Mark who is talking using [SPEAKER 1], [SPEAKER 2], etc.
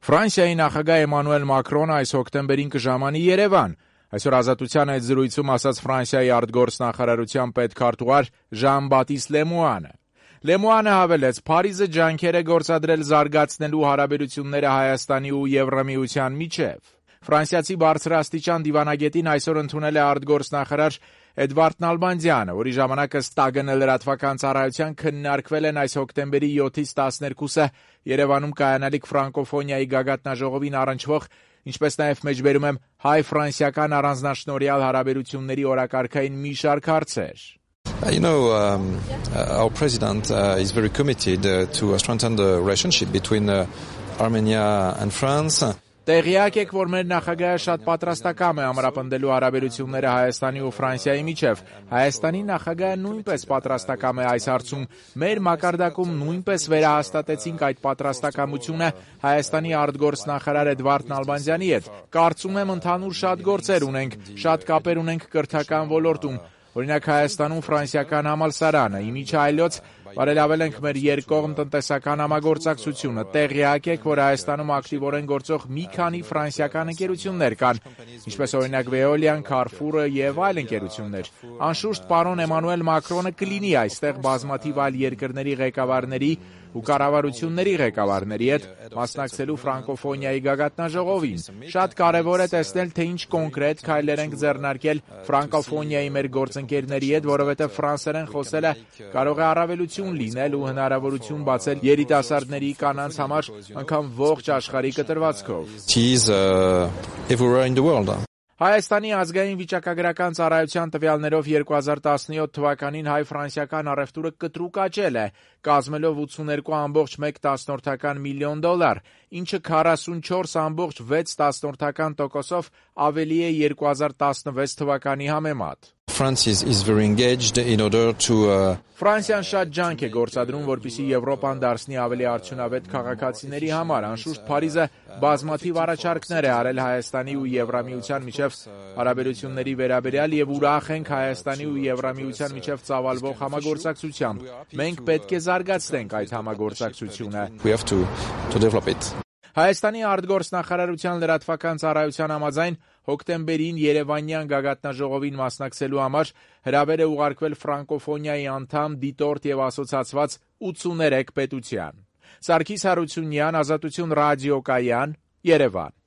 [SPEAKER 1] Ֆրանսիայի նախագահ Էմանուել Մակրոնը այս հոկտեմբերին կժամանի Երևան։ Այսօր Ազատության այդ զրույցում ասաց Ֆրանսիայի արտգործնախարարության պետքարտուղար Ժան-Բատիստ Լեմուանը։ Լեմուանը հավելեց, Փարիզը ջանքեր է գործադրել զարգացնելու հարաբերությունները Հայաստանի ու Եվրամիության միջև։ Ֆրանսիացի բարձրաստիճան դիվանագետին այսօր ընդունել է արտգործնախարար Էդվարդ Նալբանդյանը, որի ժամանակ ըստ ՏԱԳՆ լրատվական ծառայության քննարկվել են այս հոկտեմբերի 7-ից 12-ը Երևանում կայանալիք ֆրանկոֆոնիայի գագաթնաժողովին առնչվող, ինչպես նաև մեջբերում եմ հայ-ֆրանսիական առանձնաշնորհյալ հարաբերությունների օրակարգային մի շարք հարցեր։
[SPEAKER 2] Our president is very committed to strengthen the relationship between Armenia and France.
[SPEAKER 1] Տեղյակ եք, որ մեր նախագահը շատ պատրաստակամ է ամրապնդելու հարաբերությունները Հայաստանի ու Ֆրանսիայի միջև։ Հայաստանի նախագահը նույնպես պատրաստակամ է այս հարցում։ Մեր մակարդակում նույնպես վերահաստատեցինք այդ պատրաստակամությունը Հայաստանի արտգործնախարար Էդվարդ Նալբանդյանի հետ։ Կարծում եմ ընդհանուր շատ գործեր ունենք, շատ կապեր ունենք կրթական ոլորտում։ Օրինակ Հայաստանում ֆրանսիական համալսարանը, իմիջը այլոց բարելավել ենք մեր երկկողմ տնտեսական համագործակցությունը։ Տեղյակ եք, որ Հայաստանում ակտիվորեն գործող մի քանի ֆրանսիական ընկերություններ կան, ինչպես օրինակ Veolian, Carrefour-ը եւ այլ ընկերություններ։ Անշուշտ պարոն Էմանուել Մակրոնը կլինի այստեղ բազմաթիվ այլ երկրների ղեկավարների ու կառավարությունների ղեկավարների հետ մասնակցելու ֆրանկոֆոնիայի գագաթնաժողովին։ Շատ կարևոր է տեսնել, թե ինչ կոնկրետ քայլեր ենք ձեռնարկել ֆրանկոֆոնիայի մեր գործընկերների հետ, որովհետև ֆրանսերեն խոսելը կարող է առավելություն լինել ու հնարավորություն բացել երիտասարդների կանանց համար անգամ ողջ աշխարհի կտրվածքով։ Հայաստանի ազգային վիճակագրական ծառայության տվյալներով 2017 թվականին հայ-ֆրանսիական առևտուրը կտրուկ աճել է, կազմելով $82.1 միլիոն, ինչը 44.6% ավելի է 2016 թվականի համեմատ։ Ֆրանսիան շատ ջանք է գործադրում, որպեսզի Եվրոպան դարձնի ավելի արդյունավետ քաղաքացիների համար։ Անշուշտ Փարիզը բազմաթիվ առաջարկներ է արել Հայաստանի ու Եվրամիության միջև հարաբերությունների վերաբերյալ եւ ուրախ ենք Հայաստանի ու Եվրամիության միջև ծավալվող համագործակցությամբ։ Մենք պետք է զարգացնենք այդ համագործակցությունը։ Հայաստանի արտգործնախարարության լրատվական ծառայության համաձայն հոկտեմբերին Երևանյան գագաթնաժողովին մասնակցելու համար հրավեր է ուղարկվել ֆրանկոֆոնիայի անդամ, դիտորդ եւ ասոցացված 83 պետության։ Սարգիս Հարությունյան, Ազատություն ռադիոկայան, Երևան։